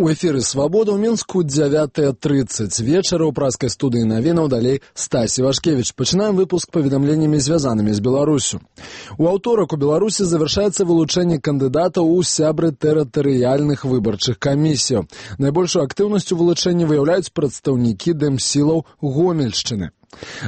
У эфіры «Свабода» ў Мінску 9:30 вечара ў праскай студыі навінаў далей Стасі Вашкевіч. Пачынаем выпуск паведамленнямі, звязанымі з Беларусю. У аўторак у Беларусі завяршаецца вылучэнне кандыдатаў у сябры тэрытарыяльных выбарчых камісіяў. Найбольшую актыўнасць у вылучэнні выяўляюць прадстаўнікі дэмсілаў Гомельшчыны.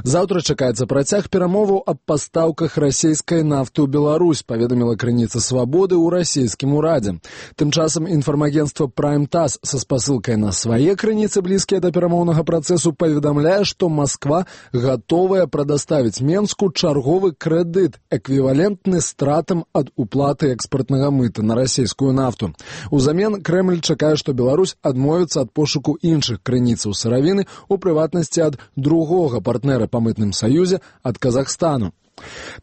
Заўтра чакаецца працяг перамоваў аб пастаўках расійскай нафты ў Беларусь, паведаміла крыніца «Свабоды» ў расійскім урадзе. Тым часам інфармагенцтва Prime TASS са спасылкай на свае крыніцы, блізкія да перамоўнага працэсу, паведамляе, што Масква гатовая прадаставіць Менску чарговы крэдыт, эквівалентны стратам ад уплаты экспартнага мыта на расійскую нафту. Узамен Крэмль чакае, што Беларусь адмовіцца ад пошуку іншых крыніцаў сыравіны, у прыватнасці ад другога партнера па мытным саюзе, ад Казахстану.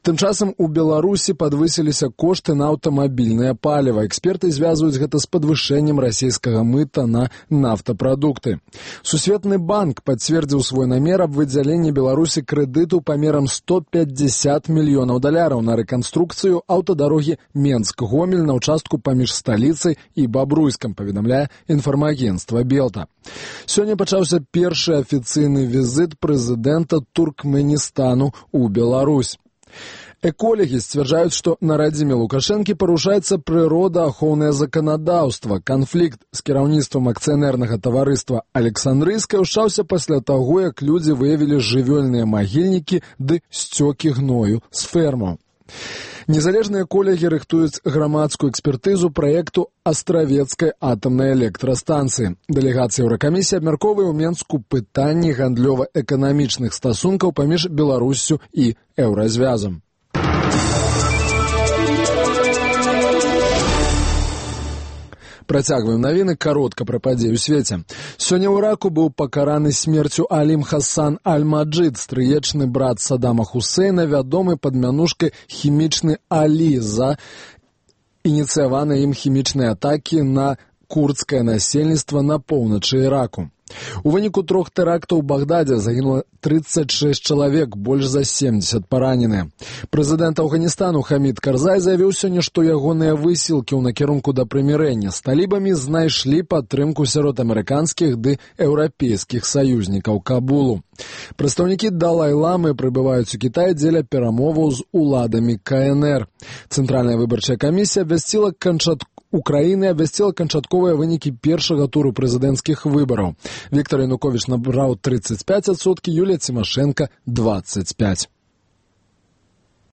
Тым часам у Беларусі падвысіліся кошты на аўтамабільнае паліва. Эксперты звязваюць гэта з падвышэннем расійскага мыта на нафтапрадукты. Сусветны банк пацвердзіў свой намер аб выдзяленні Беларусі крэдыту памерам $150 мільёнаў на рэканструкцыю аўтадарогі Менск-Гомель на ўчастку паміж сталіцай і Бабруйскам, паведамляе інфармагенцтва Белта. Сёння пачаўся першы афіцыйны візіт прэзідэнта Туркменістану ў Беларусь. Эколагі сцвярджаюць, што на радзіме Лукашэнкі парушаецца прыродаахоўнае заканадаўства. Канфлікт з кіраўніцтвам акцыянернага таварыства «Александрыйскае» ўшчаўся пасля таго, як людзі выявілі жывёльныя магільнікі ды сцёкі гною з фермаў. Незалежныя эколагі рыхтуюць грамадскую экспертызу праекту Астравецкай атамнай электрастанцыі. Дэлегацыя Еўракамісіі абмяркоўвае ў Менску пытанні гандлёва-эканамічных стасункаў паміж Беларуссю і Еўразвязам. Працягваем навіны каротка пра падзеі ў свеце. Сёння ў Іраку быў пакараны смерцю Алім Хасан Аль-Маджид, стрыечны брат Саддама Хусейна, вядомы пад мянушкай «Хімічны Алі» за ініцыяваныя ім хімічныя атакі на курдскае насельніцтва на поўначы Іраку. У выніку 3 тэрактаў у Багдадзе загінула 36 чалавек, больш за 70 параненыя. Прэзідэнт Афганістану Хамід Карзай заявіў сёння, што ягоныя высілкі ў накірунку да прымірэння з талібамі знайшлі падтрымку сярод амерыканскіх ды еўрапейскіх саюзнікаў Кабулу. Прадстаўнікі Далай-ламы прыбываюць у Кітай дзеля перамоваў з уладамі КНР. Цэнтральная выбарчая камісія абвясціла Украіны абвясціла канчатковыя вынікі першага туру прэзідэнцкіх выбараў. Віктор Януковіч набраў 35%, Юлія Цімашэнка – 25%.